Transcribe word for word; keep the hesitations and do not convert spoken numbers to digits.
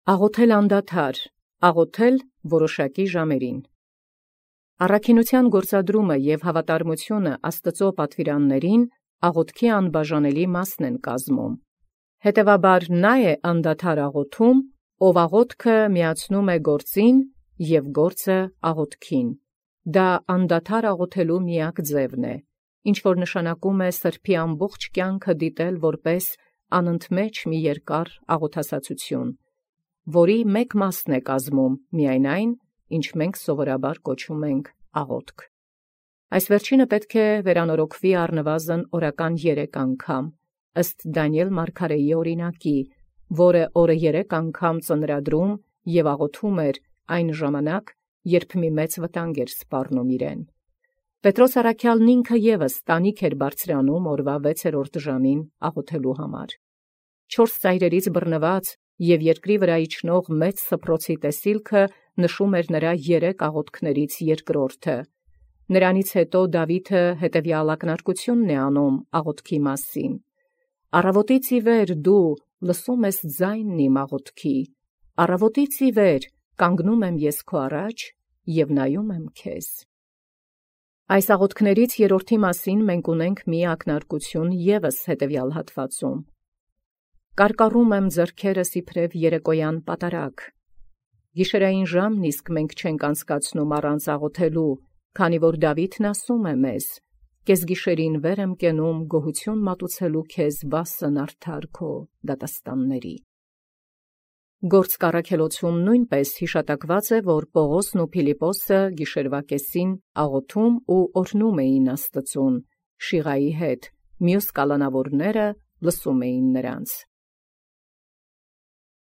Աղոթել անդադար, աղոթել որոշակի ժամերին։ Առաքինութեան գործադրումը և հավատարմությունը Աստուծո պատվիրաններին աղոթքի անբաժանելի մասն են կազմում։ Հետևաբար նա է անդադար աղոթում, ով աղոթքը միացնում է գործին և գործը աղոթքին։ Դա անդադար աղոթելու միակ ձևն է, ինչ որ նշանակում է սրբոյ ամբողջ կյանքը դիտել որպես անընդմեջ մի երկար աղոթասացություն, որի մեկ մասն է կազմում միայն այն, ինչ մենք սովորաբար կոչում ենք աղոթք։ Այս վերջինը պետք է վերանորոգվի առնվազն օրական երեք անգամ, ըստ Դանիել մարգարեի օրինակի, որը օրը երեք անգամ ծնրադրում և աղոթում էր այն ժամանակ, երբ մի մեծ վտանգ էր սպառնում իրեն։ Պետրոս առաքյալն ինքը ևս տանիք էր բարձրանում օրվա վեցերորդ ժամին աղոթելու համար։ Չորս ծայրերից բռնված և երկրի վրա իջնող մեծ սփռոցի տեսիլքը նշում էր նրա երեք աղոթքներից երկրորդը։ Նրանից հետո Դավիթը հետևյալ ակնարկությունն է անում աղոթքի մասին. «Առավոտից ի վեր դու լսում ես ձայնն իմ աղոթքի, առավոտից ի վեր կանգնում եմ ես քո առաջ և նայում եմ քեզ»։ Այս աղոթքներից երրորդի մասին մենք ունենք մի ակնարկություն ևս հետևյալ հատվածում. «Կարկառում եմ ձեռքերս իբրև երեկոյան պատարագ»։ Գիշերային ժամն իսկ մենք չենք անցկացնում առանց աղոթելու, քանի որ Դավիթն ասում է մեզ. «Կեսգիշերին վեր եմ կենում գոհություն մատուցելու քեզ վասն արդար քո դատաստանների»։ Գործք առաքելոցում նույնպես հիշատակված է, որ Պողոսն ու Փիլիպպոսը գիշերվա կեսին աղոթում ու օրհնում էին Աստծուն, Շիղայի հետ, մյուս կալանավորները լսում էին նրանց։